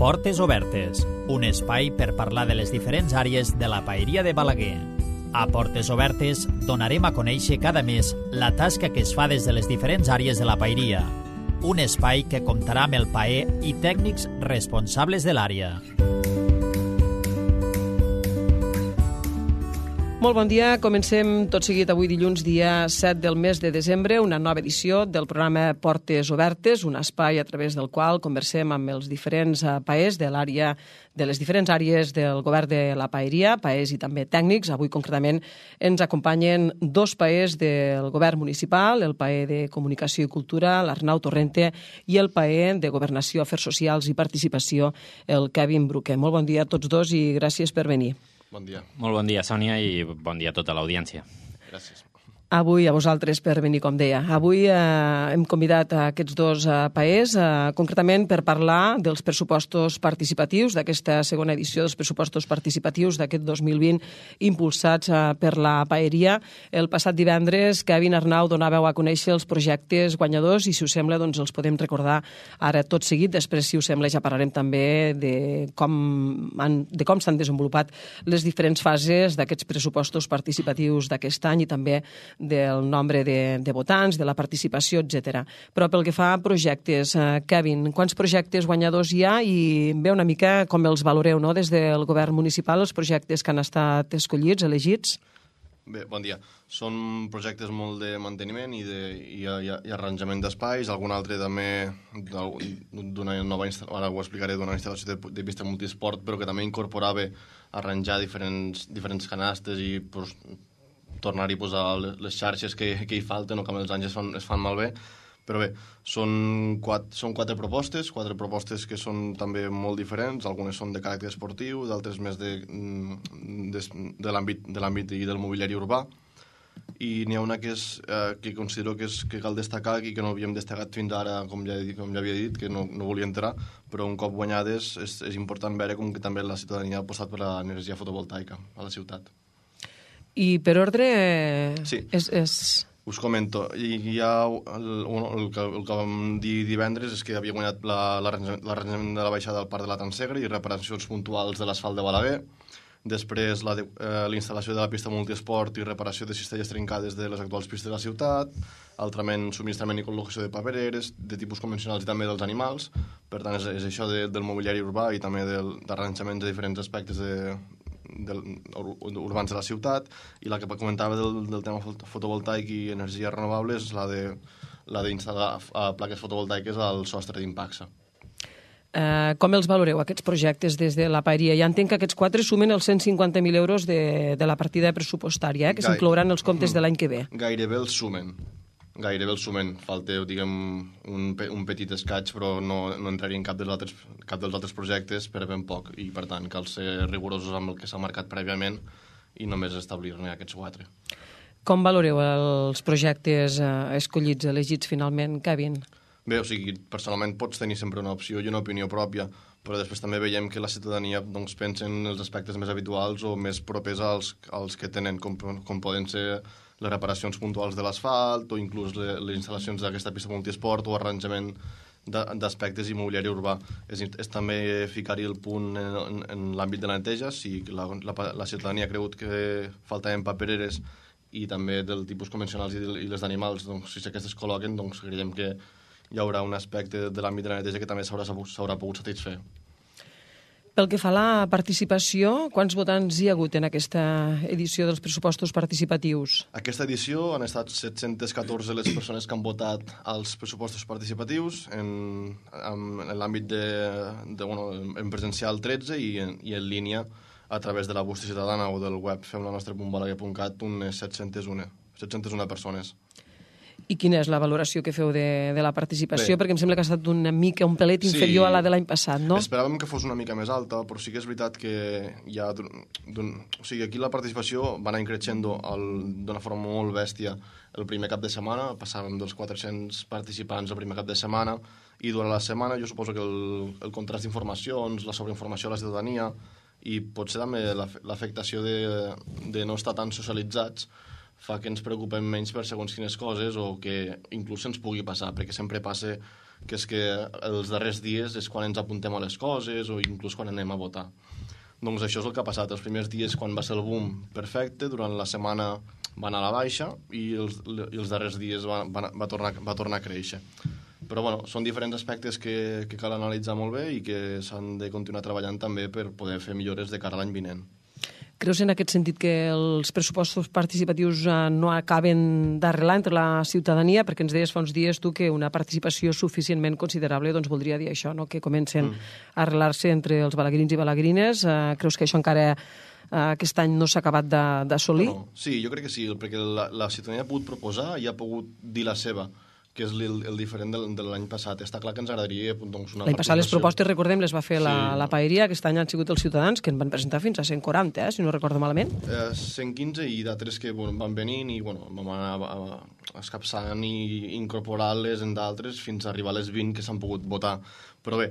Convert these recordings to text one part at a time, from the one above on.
Portes Obertes, un espai per parlar de les diferents àrees de la paeria de Balaguer. A Portes Obertes donarem a conèixer cada mes la tasca que es fa des de les diferents àrees de la paeria. Un espai que comptarà amb el paer i tècnics responsables de l'àrea. Molt bon dia. Comencem tot seguit avui dilluns, dia 7 del mes de desembre, una nova edició del programa Portes Obertes, un espai a través del qual conversem amb els diferents paers de l'àrea, de les diferents àrees del govern de la paeria, paers i també tècnics. Avui concretament ens acompanyen dos paers del govern municipal, el paer de Comunicació i Cultura, l'Arnau Torrente, i el paer de Governació, Afers Socials i Participació, el Kevin Bruque. Molt bon dia a tots dos i gràcies per venir. Bon dia. Molt bon dia, Sònia, i bon dia a tota l'audiència. Gràcies. Avui a vosaltres per venir, com deia. Avui hem convidat a aquests dos paers, concretament per parlar dels pressupostos participatius, d'aquesta segona edició dels pressupostos participatius d'aquest 2020 impulsats per la paeria. El passat divendres, Kevin, Arnau, donàveu a conèixer els projectes guanyadors i, si us sembla, doncs els podem recordar ara tot seguit. Després, si us sembla, ja parlarem també de com s'han desenvolupat les diferents fases d'aquests pressupostos participatius d'aquest any i també del nombre de votants, de la participació, etc. Però pel que fa a projectes, Kevin, quants projectes guanyadors hi ha i ve una mica com els valoreu, no?, des del govern municipal, els projectes que han estat escollits, elegits? Bé, bon dia. Són projectes molt de manteniment i arranjament d'espais, algun altre també d'una nova instal·lació, ara ho explicaré, d'una instal·lació de pista multisport, però que també incorporava arranjar diferents canastes i tornar-hi a posar les xarxes que hi falten o que amb els anys es fan malbé. Però bé, són quatre propostes que són també molt diferents. Algunes són de caràcter esportiu, d'altres més de l'àmbit i del mobiliari urbà. I n'hi ha una que considero que cal destacar i que no havíem destacat fins ara, com ja havia dit, que no volia entrar, però un cop guanyades és important veure com que també la ciutadania ha apostat per l'energia fotovoltaica a la ciutat. I per ordre... Sí. Us comento. El que vam dir divendres és que havia guanyat l'arranjament de la baixada del Parc de la Tansegra i reparacions puntuals de l'asfalt de Balaguer. Després, la instal·lació de la pista multiesport i reparació de cistelles trencades de les actuals pistes de la ciutat. Altrament, subministrament i col·locació de papereres, de tipus convencionals i també dels animals. Per tant, és això del mobiliari urbà i també d'arranjaments de diferents aspectes urbans de la ciutat, i la que comentava del tema fotovoltaic i energies renovables és la d'instal·lar plaques fotovoltaiques al sostre d'Impacsa. Com els valoreu, aquests projectes des de la paeria? Ja entenc que aquests 4 sumen els 150.000 euros de la partida pressupostària, que s'inclouran els comptes de l'any que ve. Gairebé els sumen. Falta, diguem, un petit escaig, però no entraria en cap dels altres projectes per ben poc, i per tant cal ser rigorosos amb el que s'ha marcat prèviament i només establir-ne aquests 4. Com valoreu els projectes escollits, elegits finalment, Kevin? Bé, personalment pots tenir sempre una opció i una opinió pròpia, però després també veiem que la ciutadania pensa en els aspectes més habituals o més propers als que tenen, com poden ser les reparacions puntuals de l'asfalt o inclús les instal·lacions d'aquesta pista multiesport o arranjament d'aspectes i mobiliari urbà. És també ficar-hi el punt en l'àmbit de la neteja. Si la ciutadania ha cregut que faltaven papereres i també del tipus convencionals i les d'animals, si aquestes col·loquen, creiem que hi haurà un aspecte de l'àmbit de la neteja que també s'haurà pogut satisfer. Pel que fa a la participació, quants votants hi ha hagut en aquesta edició dels pressupostos participatius? Aquesta edició han estat 714 les persones que han votat als pressupostos participatius, en l'àmbit en presencial 13 i en línia a través de la bústia ciutadana o del web femlanostre.balaguer.cat unes 701 persones. I quina és la valoració que feu de la participació? Bé, perquè em sembla que ha estat una mica, un pelet inferior a la de l'any passat, no? Esperàvem que fos una mica més alta, però sí que és veritat que hi ha... aquí la participació va anar creixent d'una forma molt bèstia el primer cap de setmana, passàvem dels 400 participants el primer cap de setmana, i durant la setmana jo suposo que el contrast d'informacions, la sobreinformació a la ciutadania i potser també l'afectació de no estar tan socialitzats fa que ens preocupem menys per segons quines coses o que inclús ens pugui passar, perquè sempre passa que és que els darrers dies és quan ens apuntem a les coses o inclús quan anem a votar. Doncs això és el que ha passat. Els primers dies, quan va ser el boom, perfecte, durant la setmana va anar a la baixa i els darrers dies va tornar a créixer. Però bueno, són diferents aspectes que cal analitzar molt bé i que s'han de continuar treballant també per poder fer millores de cara a l'any vinent. Creus en aquest sentit que els pressupostos participatius no acaben d'arrelar entre la ciutadania? Perquè ens deies fa uns dies tu que una participació suficientment considerable doncs voldria dir això, no? Que comencen a arrelar-se entre els balaguerins i balaguerines. Creus que això encara aquest any no s'ha acabat d'assolir? No, sí, jo crec que sí, perquè la ciutadania ha pogut proposar i ha pogut dir la seva, que és el diferent de l'any passat. Està clar que ens agradaria doncs, una L'any passat les propostes, recordem, les va fer Sí. la Paeria, aquest any han sigut els ciutadans, que en van presentar fins a 140, si no recordo malament. 115 i d'altres que van venint i vam anar escapçant i incorporar-les en d'altres fins a arribar a les 20 que s'han pogut votar. Però bé,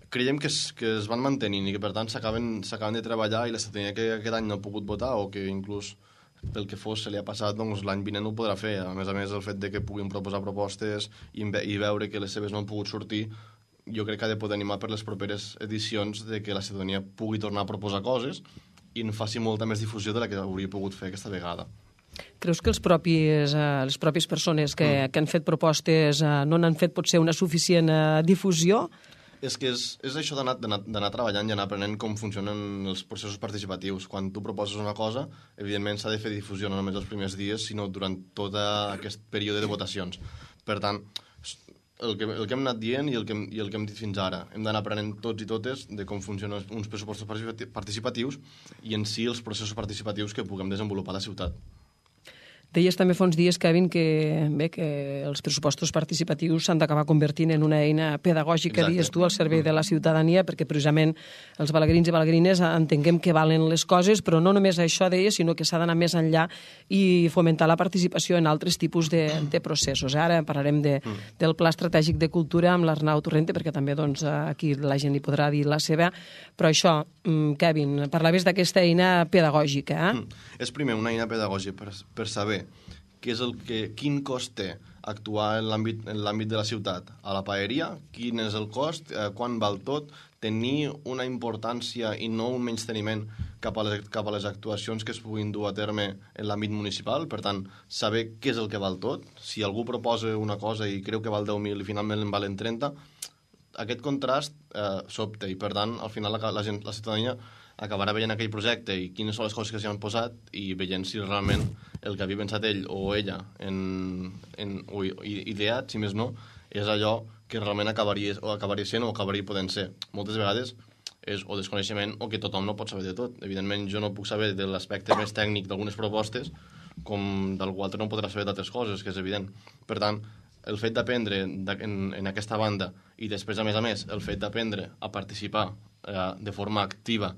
creiem que es van mantenint i que per tant s'acaben de treballar i la ciutadania que aquest any no ha pogut votar o que inclús pel que fos se li ha passat, doncs l'any vinent no ho podrà fer. A més, el fet de que puguin proposar propostes i veure que les seves no han pogut sortir, jo crec que ha de poder animar per les properes edicions de que la ciutadania pugui tornar a proposar coses i en faci molta més difusió de la que hauria pogut fer aquesta vegada. Creus que les pròpies persones que han fet propostes no n'han fet potser una suficient difusió? És que és això d'anar treballant i anar aprenent com funcionen els processos participatius. Quan tu proposes una cosa, evidentment s'ha de fer difusió no només els primers dies, sinó durant tot aquest període de votacions. Per tant, el que hem anat dient i el que hem dit fins ara, hem d'anar aprenent tots i totes de com funcionen uns pressupostos participatius i en si els processos participatius que puguem desenvolupar a la ciutat. Deies també fa uns dies, Kevin, que els pressupostos participatius s'han d'acabar convertint en una eina pedagògica, Exacte. dies tu, al servei de la ciutadania, perquè precisament els balaguerins i balaguerines entenguem que valen les coses, però no només això, deies, sinó que s'ha d'anar més enllà i fomentar la participació en altres tipus de processos. Ara parlarem del Pla Estratègic de Cultura amb l'Arnau Torrente, perquè també doncs, aquí la gent hi podrà dir la seva. Però això, Kevin, parlaves d'aquesta eina pedagògica. És primer una eina pedagògica per saber quin cost té actuar en l'àmbit de la ciutat a la paeria, quin és el cost, quan val tot, tenir una importància i no un menysteniment cap a les actuacions que es puguin dur a terme en l'àmbit municipal, per tant, saber què és el que val tot. Si algú proposa una cosa i creu que val 10.000 i finalment en valen 30, aquest contrast s'opta i, per tant, al final la ciutadania acabarà veient aquell projecte i quines són les coses que s'hi han posat i veient si realment el que havia pensat ell o ella o ideat, si més no, és allò que realment acabaria sent o acabaria podent ser. Moltes vegades és o desconeixement o que tothom no pot saber de tot. Evidentment, jo no puc saber de l'aspecte més tècnic d'algunes propostes com d'algú altre no podrà saber d'altres coses, que és evident. Per tant, el fet d'aprendre en aquesta banda i després, a més, el fet d'aprendre a participar de forma activa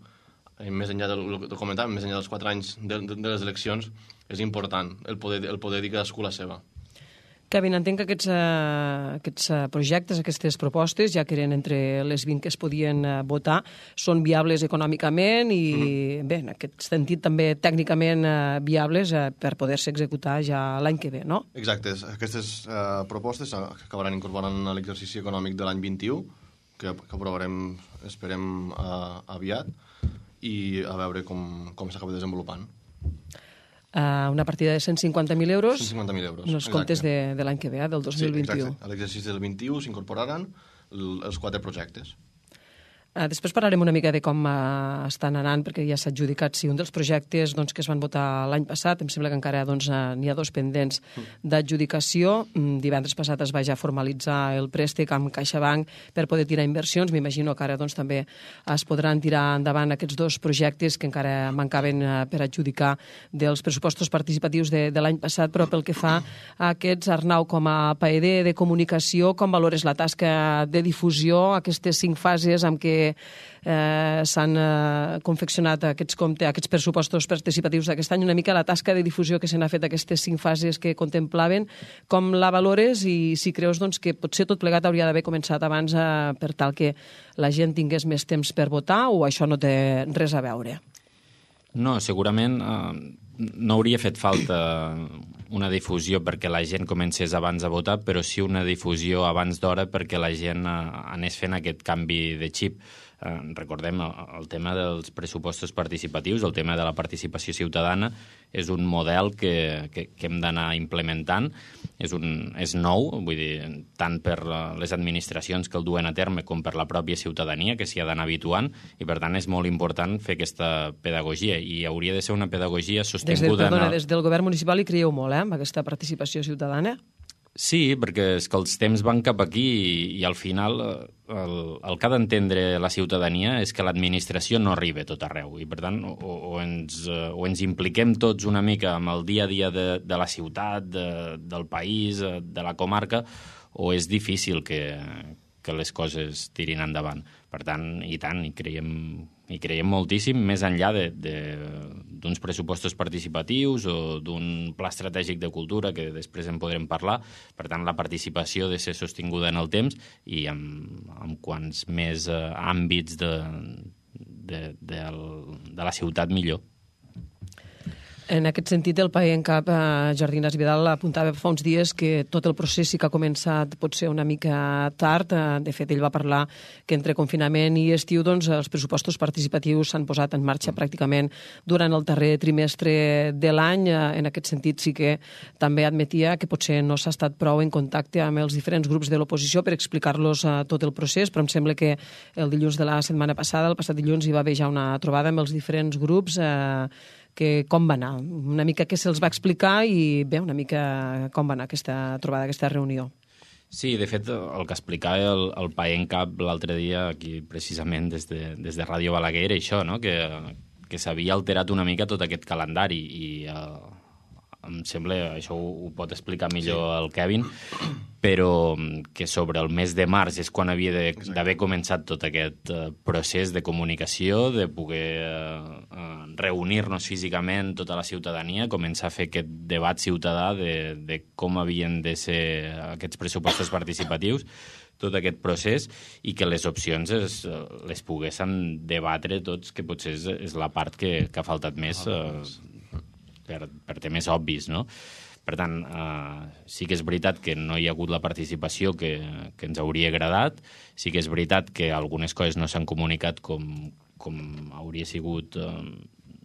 més enllà del que comentàvem, més enllà dels 4 anys de les eleccions, és important el poder dir cadascú la seva. Kevin, entenc que aquests projectes, aquestes propostes, ja que eren entre les 20 que es podien votar, són viables econòmicament i, bé, en aquest sentit també tècnicament viables per poder-se executar ja l'any que ve, no? Exacte. Aquestes propostes acabaran incorporant a l'exercici econòmic de l'any 21, que aprovarem, esperem, aviat, i a veure com s'acaba desenvolupant. Una partida de 150.000 euros. 150.000 euros. En els comptes de l'any que ve, del 2021. Sí, exacte. A l'exercici del 21 s'incorporaran els 4 projectes. Després parlarem una mica de com estan anant, perquè ja s'ha adjudicat un dels projectes que es van votar l'any passat. Em sembla que encara n'hi ha 2 pendents d'adjudicació. Divendres passat es va ja formalitzar el préstec amb CaixaBank per poder tirar inversions. M'imagino que ara també es podran tirar endavant aquests 2 projectes que encara mancaven per adjudicar dels pressupostos participatius de l'any passat. Però pel que fa a aquests, Arnau, com a paeder de comunicació, com valores la tasca de difusió, aquestes 5 fases amb què s'han confeccionat aquests pressupostos participatius d'aquest any, una mica la tasca de difusió que se n'ha fet aquestes 5 fases que contemplaven, com la valores i si creus que potser tot plegat hauria d'haver començat abans per tal que la gent tingués més temps per votar o això no té res a veure? No, segurament no hauria fet falta una difusió perquè la gent comencés abans a votar, però sí una difusió abans d'hora perquè la gent anés fent aquest canvi de xip. Recordem, el tema dels pressupostos participatius, el tema de la participació ciutadana, és un model que hem d'anar implementant. És nou, vull dir, tant per les administracions que el duen a terme com per la pròpia ciutadania, que s'hi ha d'anar habituant, i per tant és molt important fer aquesta pedagogia, i hauria de ser una pedagogia sostinguda... Des del govern municipal hi creieu molt, amb aquesta participació ciutadana? Sí, perquè és que els temps van cap aquí i al final el que ha d'entendre la ciutadania és que l'administració no arriba a tot arreu i per tant o ens impliquem tots una mica amb el dia a dia de la ciutat, del país, de la comarca, o és difícil que les coses tirin endavant. Per tant, hi creiem moltíssim, més enllà d'uns pressupostos participatius o d'un pla estratègic de cultura, que després en podrem parlar. Per tant, la participació ha de ser sostinguda en el temps i amb quants més àmbits de la ciutat, millor. En aquest sentit, el PAE en cap, Jordi Ignasi Vidal, apuntava fa uns dies que tot el procés sí que ha començat potser una mica tard. De fet, ell va parlar que entre confinament i estiu els pressupostos participatius s'han posat en marxa pràcticament durant el darrer trimestre de l'any. En aquest sentit, sí que també admetia que potser no s'ha estat prou en contacte amb els diferents grups de l'oposició per explicar-los tot el procés, però em sembla que el dilluns de la setmana passada, el passat dilluns, hi va haver ja una trobada amb els diferents grups que com va anar, una mica què se'ls va explicar i bé, una mica com va anar aquesta trobada, aquesta reunió. Sí, de fet, el que explicava el PAE en cap l'altre dia, aquí precisament des de Ràdio Balaguer, era això, no? Que s'havia alterat una mica tot aquest calendari i em sembla, això ho pot explicar millor el Kevin, però que sobre el mes de març és quan havia d'haver començat tot aquest procés de comunicació, de poder reunir-nos físicament tota la ciutadania, començar a fer aquest debat ciutadà de com havien de ser aquests pressupostos participatius, tot aquest procés, i que les opcions les poguéssim debatre tots, que potser és la part que ha faltat més per temes obvis, no? Per tant, sí que és veritat que no hi ha hagut la participació que ens hauria agradat, sí que és veritat que algunes coses no s'han comunicat com hauria sigut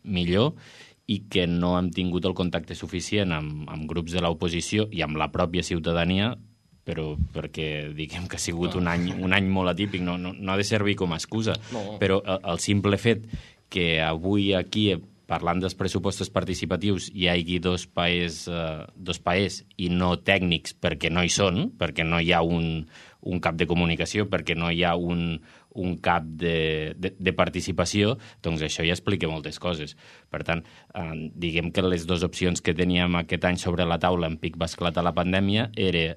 millor, i que no hem tingut el contacte suficient amb grups de l'oposició i amb la pròpia ciutadania, però perquè diguem que ha sigut un any molt atípic, no ha de servir com a excusa, però el simple fet que avui aquí, parlant dels pressupostos participatius, hi hagi dos paers i no tècnics perquè no hi són, perquè no hi ha un cap de comunicació, perquè no hi ha un cap de participació, doncs això ja explica moltes coses. Per tant, diguem que les dues opcions que teníem aquest any sobre la taula en pic va esclatar la pandèmia era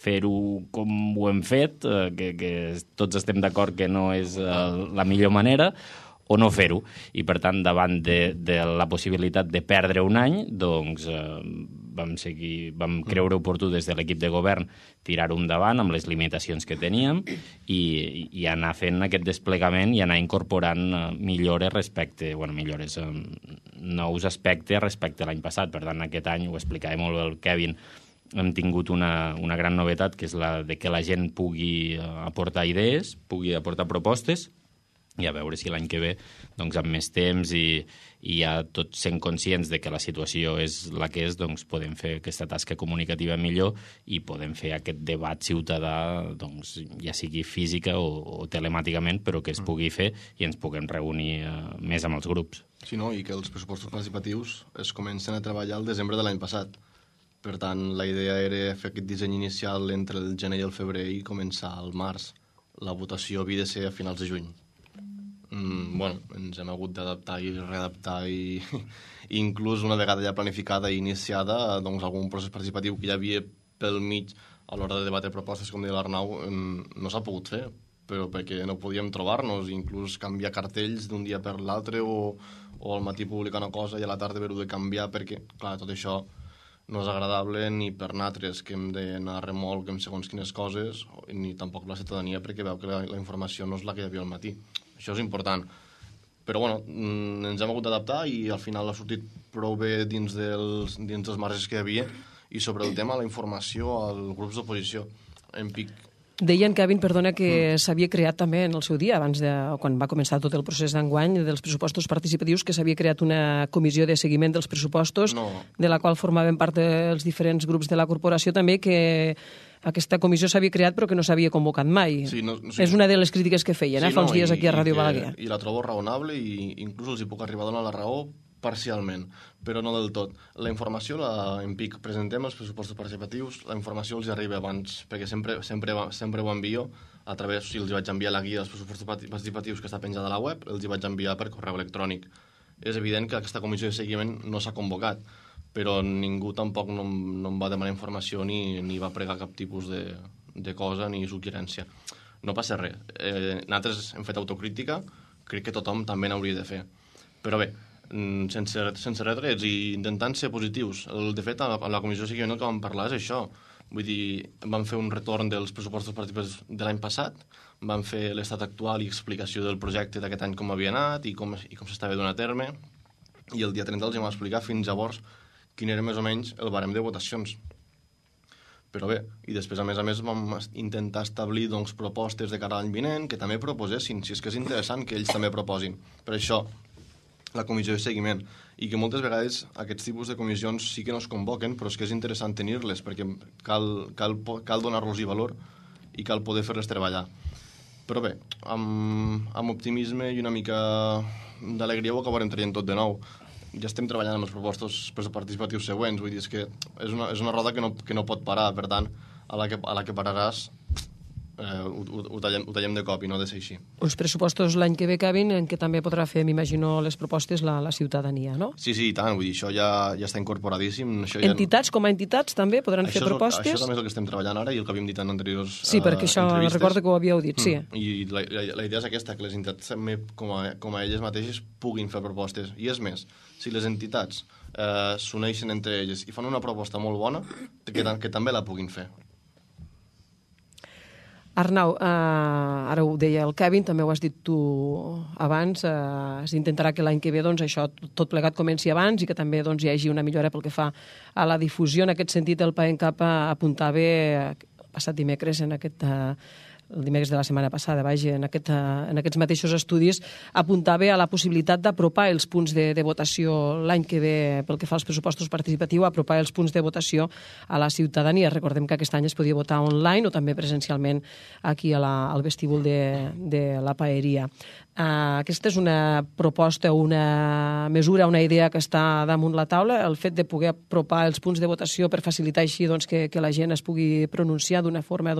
fer-ho com ho hem fet, que tots estem d'acord que no és la millor manera, o no fer-ho. I, per tant, davant de la possibilitat de perdre un any, doncs vam creure oportú des de l'equip de govern tirar-ho endavant amb les limitacions que teníem i anar fent aquest desplegament i anar incorporant millores nous aspectes respecte a l'any passat. Per tant, aquest any, ho explicava molt bé el Kevin, hem tingut una gran novetat, que és la de que la gent pugui aportar idees, pugui aportar propostes, i a veure si l'any que ve, doncs, amb més temps i ja tots sent conscients de que la situació és la que és, doncs podem fer aquesta tasca comunicativa millor i podem fer aquest debat ciutadà, doncs, ja sigui física o telemàticament, però que es pugui fer i ens puguem reunir més amb els grups. Sí, no? I que els pressupostos participatius es comencen a treballar al desembre de l'any passat. Per tant, la idea era fer aquest disseny inicial entre el gener i el febrer i començar al març. La votació havia de ser a finals de juny. Ens hem hagut d'adaptar i readaptar i inclús una vegada ja planificada i iniciada, doncs algun procés participatiu que hi havia pel mig a l'hora de debatre propostes, com deia l'Arnau, no s'ha pogut fer, però perquè no podíem trobar-nos, inclús canviar cartells d'un dia per l'altre o al matí publicar una cosa i a la tarda haver-ho de canviar, perquè, clar, tot això no és agradable ni per nosaltres, que hem d'anar a remolc amb segons quines coses, ni tampoc la ciutadania, perquè veu que la informació no és la que hi havia al matí. Això és important. Però bueno, ens hem hagut d'adaptar i al final ha sortit prou bé dins dels marges que hi havia, i sobre el tema de la informació als grups d'oposició. En pic. Deien, Kevin, perdona, que s'havia creat també en el seu dia, quan va començar tot el procés d'enguany dels pressupostos participatius, que s'havia creat una comissió de seguiment dels pressupostos, de la qual formaven part els diferents grups de la corporació també, que aquesta comissió s'havia creat però que no s'havia convocat mai. Sí, és una de les crítiques que feien, fa uns dies aquí a Ràdio Balaguer. I la trobo raonable i inclús els hi puc arribar a donar la raó parcialment, però no del tot. La informació, en PIC, presentem els pressupostos participatius, la informació els arriba abans, perquè sempre ho envio a través, si els vaig enviar la guia dels pressupostos participatius que està penjada a la web, els hi vaig enviar per correu electrònic. És evident que aquesta comissió de seguiment no s'ha convocat, però ningú tampoc no em va demanar informació ni va pregar cap tipus de cosa ni suggerència. No passa res. Nosaltres hem fet autocrítica, crec que tothom també n'hauria de fer. Però bé, sense retrets i intentant ser positius. De fet, a la comissió de seguiment el que vam parlar és això. Vull dir, vam fer un retorn dels pressupostos participatius de l'any passat, vam fer l'estat actual i explicació del projecte d'aquest any com havia anat i com s'estava donant a terme, i el dia 30 els vam explicar fins llavors quin era més o menys el barem de votacions. Però bé, i després a més vam intentar establir propostes de cara a l'any vinent que també proposessin, si és que és interessant que ells també proposin. Per això la comissió de seguiment, i que moltes vegades aquests tipus de comissions sí que no es convoquen, però és que és interessant tenir-les, perquè cal donar-los-hi valor i cal poder fer-les treballar. Però bé, amb optimisme i una mica d'alegria ho acabarem traient tot de nou. Ja estem treballant amb els propostos participatius següents, vull dir, és que és una roda que no pot parar, per tant, a la que pararàs ho tallem de cop i no ha de ser així. Uns pressupostos l'any que ve, Kevin, en què també podrà fer, m'imagino, les propostes la ciutadania, no? Sí, i tant, vull dir, això ja està incorporadíssim. Entitats, com a entitats, també podran fer propostes? Això també és el que estem treballant ara i el que havíem dit en anteriors Sí, perquè això recordo que ho havíeu dit, sí. I la idea és aquesta, que les entitats també, com a elles mateixes, puguin fer propostes. I és més, si les entitats s'uneixen entre elles i fan una proposta molt bona, que també la puguin fer. Arnau, ara ho deia el Kevin, també ho has dit tu abans, s'intentarà que l'any que ve això tot plegat comenci abans i que també hi hagi una millora pel que fa a la difusió. En aquest sentit, el PAENCAP apuntava passat dimecres el dimecres de la setmana passada, en aquests mateixos estudis, apuntava a la possibilitat d'apropar els punts de votació l'any que ve pel que fa als pressupostos participatius, apropar els punts de votació a la ciutadania. Recordem que aquest any es podia votar online o també presencialment aquí al vestíbul de la paeria. Aquesta és una proposta, una mesura, una idea que està damunt la taula, el fet de poder apropar els punts de votació per facilitar així que la gent es pugui pronunciar d'una forma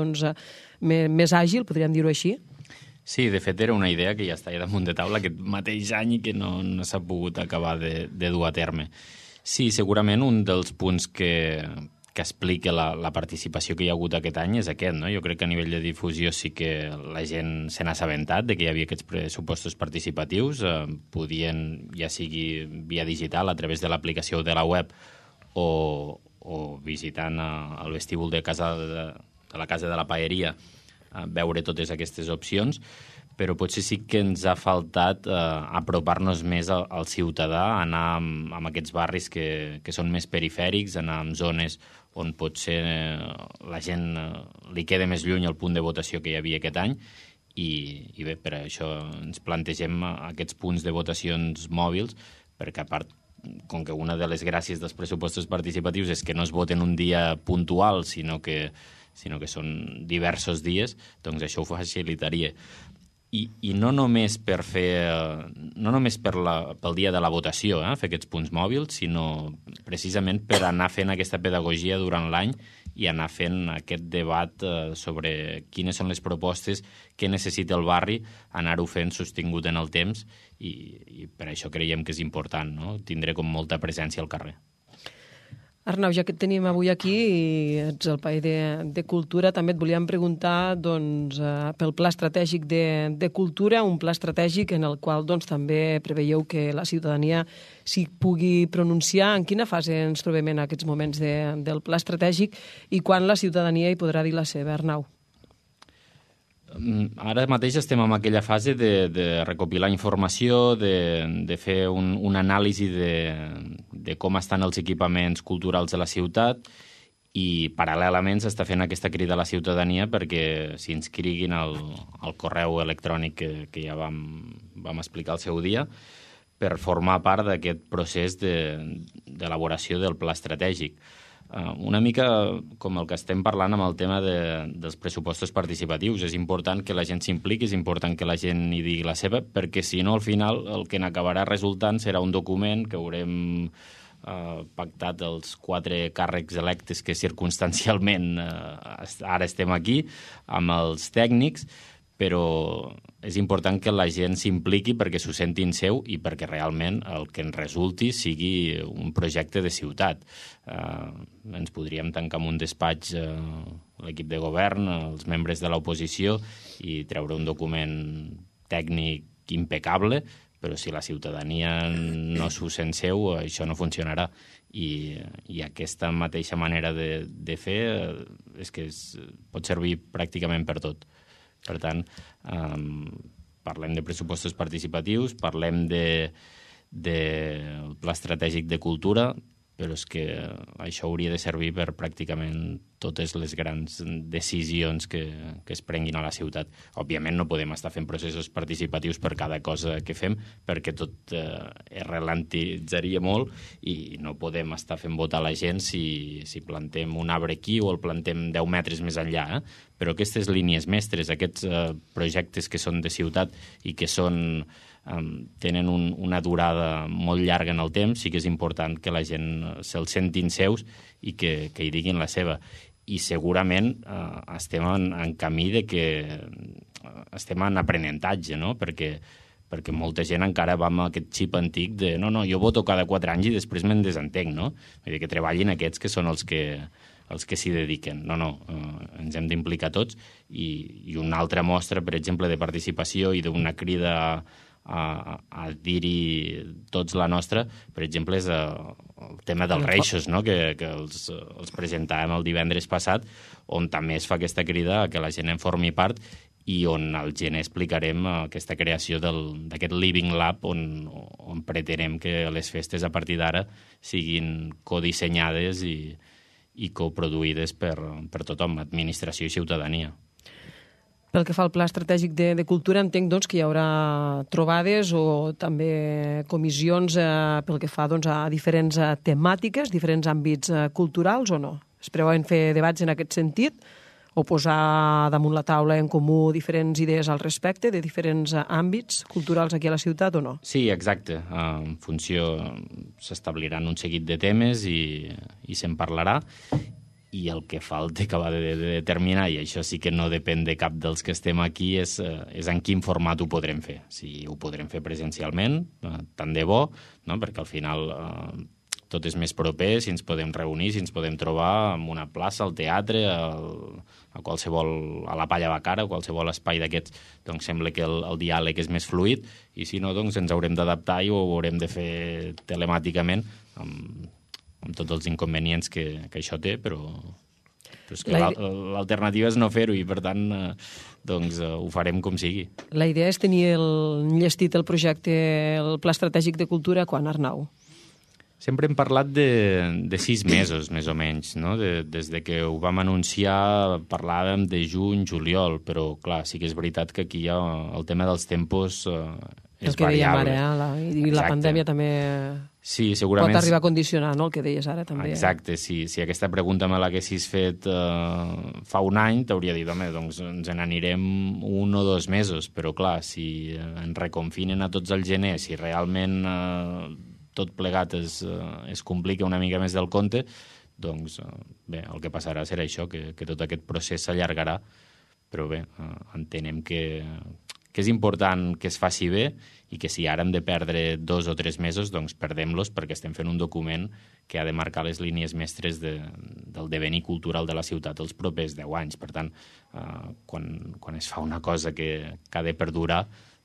més àgil, podríem dir-ho així? Sí, de fet era una idea que ja estava damunt de taula aquest mateix any i que no s'ha pogut acabar de dur a terme. Sí, segurament un dels punts que explica la participació que hi ha hagut aquest any és aquest, no? Jo crec que a nivell de difusió sí que la gent se n'ha assabentat de que hi havia aquests pressupostos participatius, podien, ja sigui via digital, a través de l'aplicació de la web o visitant el vestíbul de la casa de la paeria, veure totes aquestes opcions, però potser sí que ens ha faltat apropar-nos més al ciutadà, anar amb aquests barris que són més perifèrics, anar en zones on potser la gent li queda més lluny el punt de votació que hi havia aquest any, i bé, per això ens plantegem aquests punts de votacions mòbils, perquè a part, com que una de les gràcies dels pressupostos participatius és que no es voten un dia puntual, sinó que són diversos dies, doncs això ho facilitaria. I no només pel dia de la votació, fer aquests punts mòbils, sinó precisament per anar fent aquesta pedagogia durant l'any i anar fent aquest debat sobre quines són les propostes que necessita el barri, anar-ho fent sostingut en el temps, i per això creiem que és important, no? Tindre com molta presència al carrer. Arnau, ja que et tenim avui aquí i ets el país de Cultura, també et volíem preguntar pel Pla Estratègic de Cultura, un pla estratègic en el qual també preveieu que la ciutadania s'hi pugui pronunciar. En quina fase ens trobem en aquests moments del Pla Estratègic i quan la ciutadania hi podrà dir la seva, Arnau? Ara mateix estem en aquella fase de recopilar informació, de fer un anàlisi de com estan els equipaments culturals de la ciutat i paral·lelament s'està fent aquesta crida a la ciutadania perquè s'inscriguin al correu electrònic que ja vam explicar al seu dia per formar part d'aquest procés d'elaboració del pla estratègic. Una mica com el que estem parlant amb el tema dels pressupostos participatius. És important que la gent s'impliqui, és important que la gent hi digui la seva, perquè si no, al final, el que n'acabarà resultant serà un document que haurem pactat els 4 càrrecs electes que circumstancialment ara estem aquí, amb els tècnics, però és important que la gent s'impliqui perquè s'ho sentin seu i perquè realment el que en resulti sigui un projecte de ciutat. Ens podríem tancar en un despatx l'equip de govern, els membres de l'oposició i treure un document tècnic impecable, però si la ciutadania no s'ho sent seu, això no funcionarà. I aquesta mateixa manera de fer és que pot servir pràcticament per tot. Per tant, parlem de pressupostos participatius, parlem del pla estratègic de cultura, però és que això hauria de servir per pràcticament totes les grans decisions que es prenguin a la ciutat. Òbviament no podem estar fent processos participatius per cada cosa que fem, perquè tot es ralentitzaria molt i no podem estar fent votar la gent si plantem un arbre aquí o el plantem 10 metres més enllà. Però aquestes línies mestres, aquests projectes que són de ciutat i que tenen una durada molt llarga en el temps, sí que és important que la gent se'ls sentin seus i que hi diguin la seva. I segurament estem en camí de que estem en aprenentatge, no? Perquè molta gent encara va amb aquest xip antic de no, jo voto cada 4 anys i després me'n desentenc, no? Vull dir que treballin aquests que són els que s'hi dediquen. No, ens hem d'implicar tots i una altra mostra, per exemple, de participació i d'una crida a dir-hi tots la nostra, per exemple, és el tema dels reixos, no? que els presentàvem el divendres passat, on també es fa aquesta crida a que la gent en formi part i on al gener explicarem aquesta creació d'aquest Living Lab on pretenem que les festes a partir d'ara siguin codissenyades i coproduïdes per tothom, administració i ciutadania. Pel que fa al Pla Estratègic de Cultura, entenc doncs, que hi haurà trobades o també comissions pel que fa doncs, a diferents temàtiques, diferents àmbits culturals o no? Es preveuen fer debats en aquest sentit o posar damunt la taula en comú diferents idees al respecte de diferents àmbits culturals aquí a la ciutat o no? Sí, exacte. En funció s'establiran un seguit de temes i se'n parlarà. I el que falta acabar de determinar, i això sí que no depèn de cap dels que estem aquí, és en quin format ho podrem fer. Si ho podrem fer presencialment, tant de bo, no? Perquè al final tot és més proper, si ens podem reunir, si ens podem trobar en una plaça, al teatre, a la Palla Bacara, o qualsevol espai d'aquests, doncs sembla que el diàleg és més fluid, i si no, doncs ens haurem d'adaptar i ho haurem de fer telemàticament, amb tots els inconvenients que això té, però és que l'alternativa és no fer-ho i, per tant, doncs ho farem com sigui. La idea és tenir enllestit el projecte, el Pla Estratègic de Cultura, quan, Arnau? Sempre hem parlat de 6 mesos, més o menys, no? Des de que ho vam anunciar parlàvem de juny, juliol, però, clar, sí que és veritat que aquí ja el tema dels tempos és variable. I la pandèmia també sí, segurament pot arribar a condicionar, no?, el que deies ara també. Exacte, si aquesta pregunta me l'haguessis fet fa un any, t'hauria dit, home, doncs ens n'anirem 1 o 2 mesos, però clar, si ens reconfinen a tots al gener, si realment tot plegat es complica una mica més del compte, doncs bé, el que passarà serà això, que tot aquest procés s'allargarà, però bé, entenem que és important que es faci bé i que si ara hem de perdre 2 o 3 mesos, doncs perdem-los perquè estem fent un document que ha de marcar les línies mestres del devenir cultural de la ciutat els propers 10 anys. Per tant, quan es fa una cosa que ha de perdurar,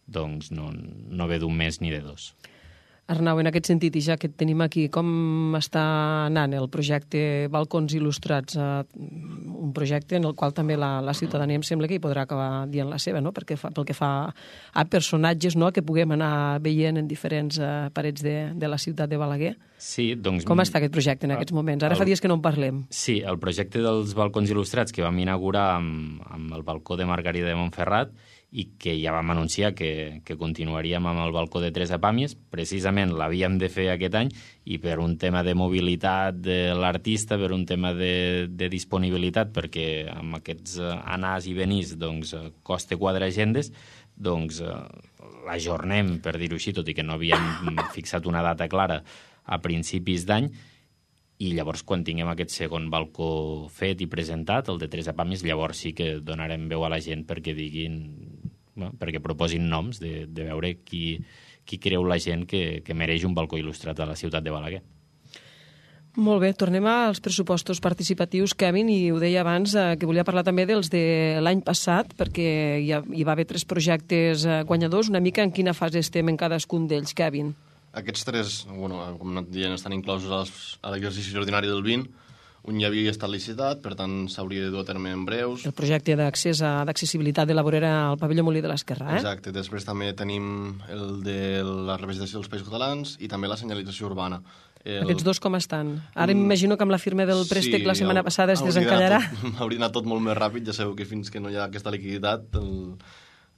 doncs no ve d'un mes ni de 2. Arnau, en aquest sentit, i ja que et tenim aquí, com està anant el projecte Balcons Il·lustrats? Un projecte en el qual també la ciutadania em sembla que hi podrà acabar dient la seva, no? Pel que fa a personatges, no?, que puguem anar veient en diferents parets de la ciutat de Balaguer. Sí, doncs... Com està aquest projecte en aquests moments? Ara fa dies que no en parlem. Sí, el projecte dels Balcons Il·lustrats que vam inaugurar amb el balcó de Margarida de Montferrat i que ja vam anunciar que continuaríem amb el balcó de Teresa Pàmies. Precisament l'havíem de fer aquest any i per un tema de mobilitat de l'artista, per un tema de disponibilitat, perquè amb aquests anars i venís doncs, costa quadrar agendes, doncs l'ajornem, per dir-ho així, tot i que no havíem fixat una data clara a principis d'any, i llavors quan tinguem aquest segon balcó fet i presentat, el de Teresa Pàmies, llavors sí que donarem veu a la gent perquè diguin, perquè proposin noms de veure qui creu la gent que mereix un balcó il·lustrat a la ciutat de Balaguer. Molt bé, tornem als pressupostos participatius, Kevin, i ho deia abans que volia parlar també dels de l'any passat, perquè hi va haver 3 projectes guanyadors. Una mica en quina fase estem en cadascun d'ells, Kevin? Aquests 3, com hem anat dient, estan inclosos a l'exercici ordinari del 20. Un ja havia estat licitat, per tant s'hauria de dur a terme en breus. El projecte d'accessibilitat de la vorera al pavelló Molí de l'Esquerrà, Exacte. Després també tenim el de la representació dels Països Catalans i també la senyalització urbana. Aquests 2 com estan? Ara m'imagino que amb la firma del préstec la setmana passada es desencallarà. Hauria anat tot molt més ràpid, ja sabeu que fins que no hi ha aquesta liquiditat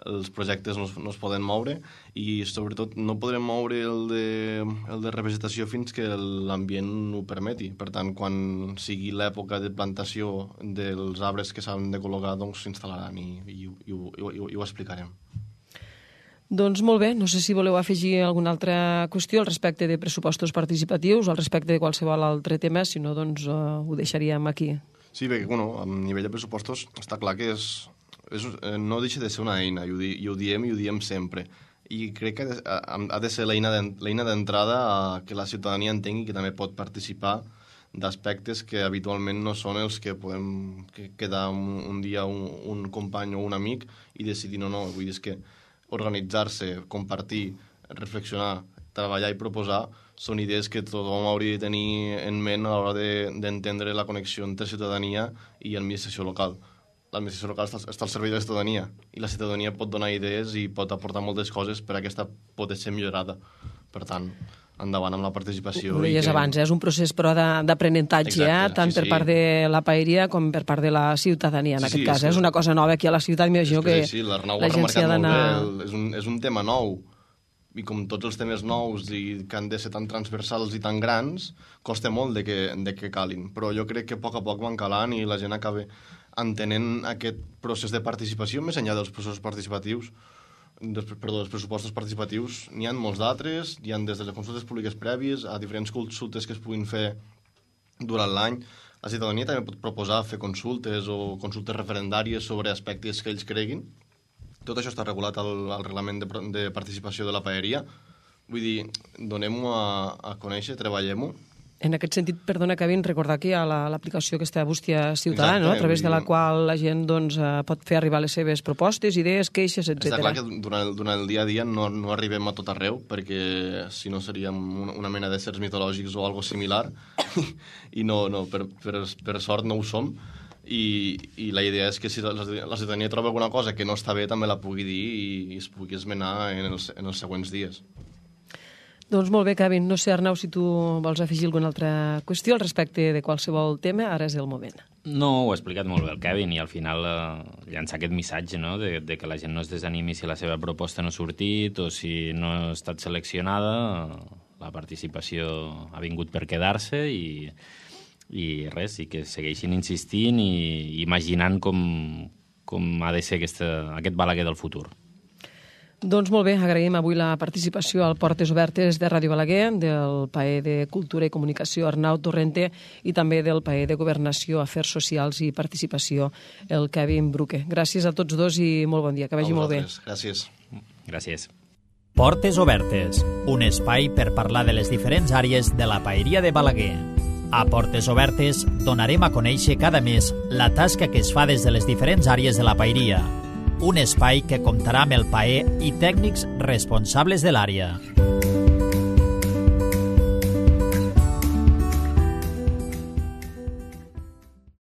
els projectes no es poden moure i sobretot no podrem moure el de representació fins que l'ambient ho permeti. Per tant, quan sigui l'època de plantació dels arbres que s'han de col·locar, doncs s'instal·laran i ho explicarem. Doncs molt bé, no sé si voleu afegir alguna altra qüestió al respecte de pressupostos participatius o al respecte de qualsevol altre tema, si no, doncs ho deixaríem aquí. Sí, perquè, a nivell de pressupostos està clar que no deixa de ser una eina, i ho diem sempre. I crec que ha de ser l'eina d'entrada que la ciutadania entengui que també pot participar d'aspectes que habitualment no són els que podem quedar un dia un company o un amic i decidir no. Vull dir, és que organitzar-se, compartir, reflexionar, treballar i proposar són idees que tothom hauria de tenir en ment a l'hora d'entendre la connexió entre ciutadania i administració local. L'administració local està al servei de la ciutadania i la ciutadania pot donar idees i pot aportar moltes coses per a aquesta poder ser millorada. Per tant, endavant amb la participació. Ho deies abans, és un procés però d'aprenentatge, tant per part de la paeria com per part de la ciutadania, en aquest cas. És una cosa nova aquí a la ciutat, m'imagino que la gent s'hi ha d'anar... És un tema nou, i com tots els temes nous i que han de ser tan transversals i tan grans, costa molt de que calin. Però jo crec que a poc van calant i la gent acaba entenent aquest procés de participació més enllà dels processos participatius, dels pressupostos participatius. N'hi ha molts d'altres, hi ha des de les consultes públiques prèvies a diferents consultes que es puguin fer durant l'any. La ciutadania també pot proposar fer consultes o consultes referendàries sobre aspectes que ells creguin. Tot això està regulat al reglament de participació de la paeria. Vull dir, donem-ho a conèixer, treballem-ho. En aquest sentit, perdona, Kevin, recordar que hi ha l'aplicació aquesta Bústia Ciutadana, no? A través de la qual la gent pot fer arribar les seves propostes, idees, queixes, etc. Està clar que durant el dia a dia no arribem a tot arreu, perquè si no seríem una mena d'éssers mitològics o algo similar, i per sort no ho som, i la idea és que si la ciutadania troba alguna cosa que no està bé també la pugui dir i es pugui esmenar en els següents dies. Doncs molt bé, Kevin. No sé, Arnau, si tu vols afegir alguna altra qüestió al respecte de qualsevol tema, ara és el moment. No, ho ha explicat molt bé el Kevin i al final llançar aquest missatge, no?, de que la gent no es desanimi si la seva proposta no ha sortit o si no ha estat seleccionada. La participació ha vingut per quedar-se i res, i que segueixin insistint i imaginant com ha de ser aquest Balaguer del futur. Doncs molt bé, agraïm avui la participació al Portes Obertes de Ràdio Balaguer, del PAE de Cultura i Comunicació Arnau Torrente i també del PAE de Governació, Afers Socials i Participació, el Kevin Bruque. Gràcies a tots dos i molt bon dia, que vagi molt bé. Gràcies. Gràcies. Portes Obertes, un espai per parlar de les diferents àrees de la paeria de Balaguer. A Portes Obertes donarem a conèixer cada mes la tasca que es fa des de les diferents àrees de la paeria. Un espai que comptarà amb el PAE i tècnics responsables de l'àrea.